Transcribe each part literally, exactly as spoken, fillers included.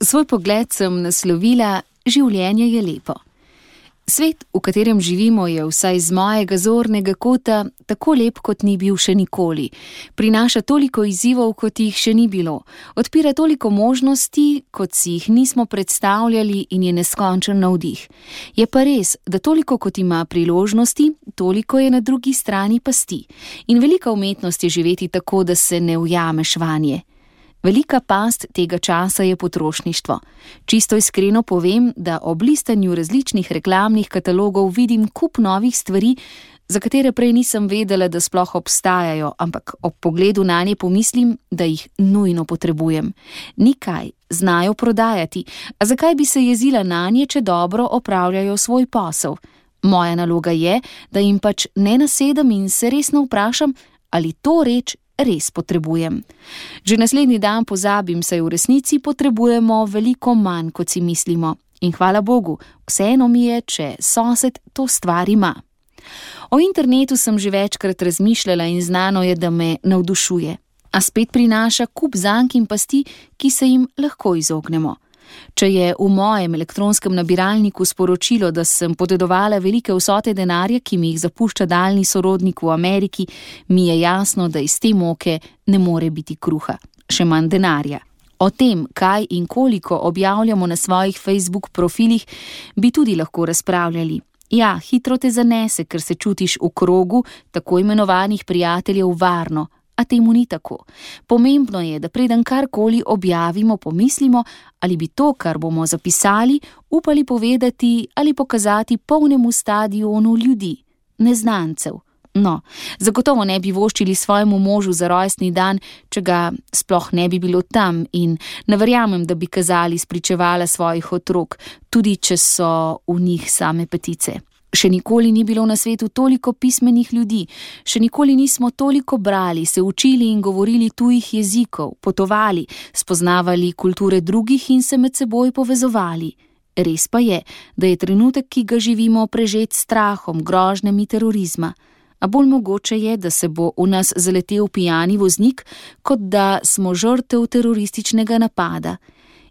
Svoj pogled sem naslovila: življenje je lepo. Svet, v katerem živimo, je vsaj z mojega zornega kota tako lep, kot ni bil še nikoli. Prinaša toliko izzivov, kot jih še ni bilo. Odpira toliko možnosti, kot si jih nismo predstavljali, in je neskončen navdih. Je pa res, da toliko kot ima priložnosti, toliko je na drugi strani pasti. In velika umetnost je živeti tako, da se ne ujameš vanje. Velika past tega časa je potrošništvo. Čisto iskreno povem, da ob listanju različnih reklamnih katalogov vidim kup novih stvari, za katere prej nisem vedela, da sploh obstajajo, ampak ob pogledu nanje pomislim, da jih nujno potrebujem. Nikaj, znajo prodajati, a zakaj bi se jezila nanje, če dobro opravljajo svoj posel? Moja naloga je, da jim pač ne nasedem in se resno vprašam, ali to reč res potrebujem. Že naslednji dan pozabim, saj v resnici potrebujemo veliko manj, kot si mislimo. In hvala Bogu, vseeno mi je, če sosed to stvar ima. O internetu sem že večkrat razmišljala in znano je, da me navdušuje. A spet prinaša kup zank in pasti, ki se jim lahko izognemo. Če je v mojem elektronskem nabiralniku sporočilo, da sem podedovala velike vsote denarja, ki mi jih zapušča daljni sorodnik v Ameriki, mi je jasno, da iz te moke ne more biti kruha, še manj denarja. O tem, kaj in koliko objavljamo na svojih Facebook profilih, bi tudi lahko razpravljali. Ja, hitro te zanese, ker se čutiš v krogu tako imenovanih prijateljev varno, a temu ni tako. Pomembno je, da preden karkoli objavimo, pomislimo, ali bi to, kar bomo zapisali, upali povedati ali pokazati polnemu stadionu ljudi, neznancev. No, zagotovo ne bi voščili svojemu možu za rojstni dan, če ga sploh ne bi bilo tam, in ne verjamem, da bi kazali spričevala svojih otrok, tudi če so v njih same petice. Še nikoli ni bilo na svetu toliko pismenih ljudi, še nikoli nismo toliko brali, se učili in govorili tujih jezikov, potovali, spoznavali kulture drugih in se med seboj povezovali. Res pa je, da je trenutek, ki ga živimo, prežet strahom, grožnjami terorizma. A bolj mogoče je, da se bo v nas zaletel pijani voznik, kot da smo žrtev terorističnega napada.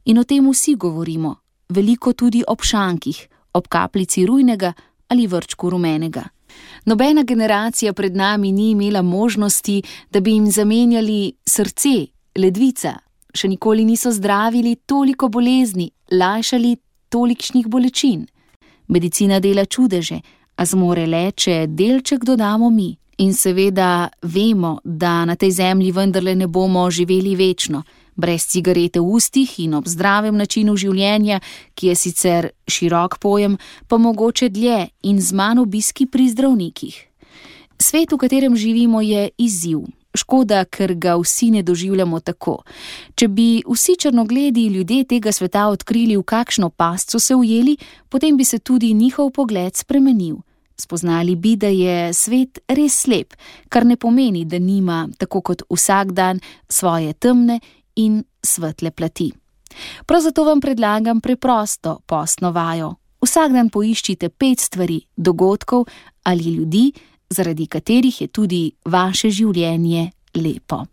In o tem vsi govorimo, veliko tudi ob šankih, ob kapljici rujnega ali vrčku rumenega. Nobena generacija pred nami ni imela možnosti, da bi jim zamenjali srce, ledvica. Še nikoli niso zdravili toliko bolezni, lajšali tolikšnih bolečin. Medicina dela čudeže, a zmore le, če delček dodamo mi. In seveda vemo, da na tej zemlji vendarle ne bomo živeli večno, brez cigarete v ustih in ob zdravem načinu življenja, ki je sicer širok pojem, pa mogoče dlje in z manj obiski pri zdravnikih. Svet, v katerem živimo, je izziv. Škoda, ker ga vsi ne doživljamo tako. Če bi vsi črnogledi ljudje tega sveta odkrili, v kakšno past so se ujeli, potem bi se tudi njihov pogled spremenil. Spoznali bi, da je svet res slep, kar ne pomeni, da nima, tako kot vsak dan, svoje temne in svetle plati. Prav zato vam predlagam preprosto postno vajo. Vsak dan poiščite pet stvari, dogodkov ali ljudi, zaradi katerih je tudi vaše življenje lepo.